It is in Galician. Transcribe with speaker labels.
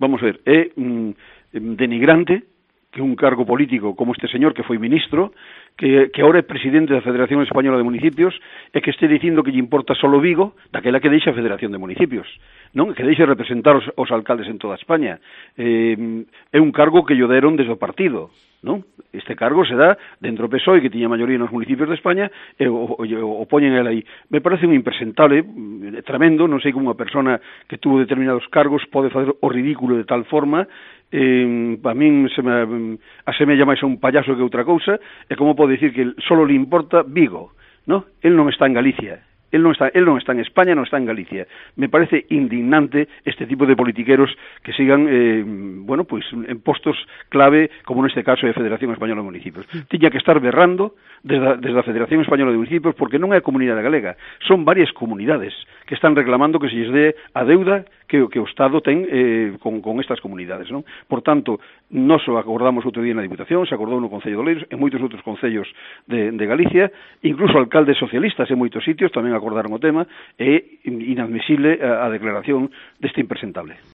Speaker 1: vamos a ver, é denigrante que un cargo político como este señor que foi ministro, que ahora é presidente da Federación Española de Municipios, e que este dicindo que lle importa solo Vigo, daquela que deixa a Federación de Municipios, non? Que deixe representar os alcaldes en toda España. É un cargo que lle deron desde o partido, non? Este cargo se dá dentro do PSOE, que tiña maioría nos municipios de España, e o poñen el aí. Me parece un impresentable, tremendo, non sei como unha persona que tuvo determinados cargos pode facer o ridículo de tal forma. A min se me asemella máis a un payaso que outra cousa, e como pode dicir que solo le importa Vigo, ¿no? El non está en Galicia. Él non está en España, non está en Galicia. Me parece indignante este tipo de politiqueros que sigan, pues en postos clave, como neste caso é a Federación Española de Municipios. Tiña que estar berrando desde a Federación Española de Municipios, porque non é a comunidade galega, son varias comunidades que están reclamando que se lles dé a deuda que o Estado ten con estas comunidades, non? Por tanto, nós o acordamos outro día na Diputación, se acordou no Concello de Oleiros, en moitos outros concellos de Galicia, incluso alcaldes socialistas en moitos sitios tamén acordaron o tema, é inadmisible a declaración deste impresentable.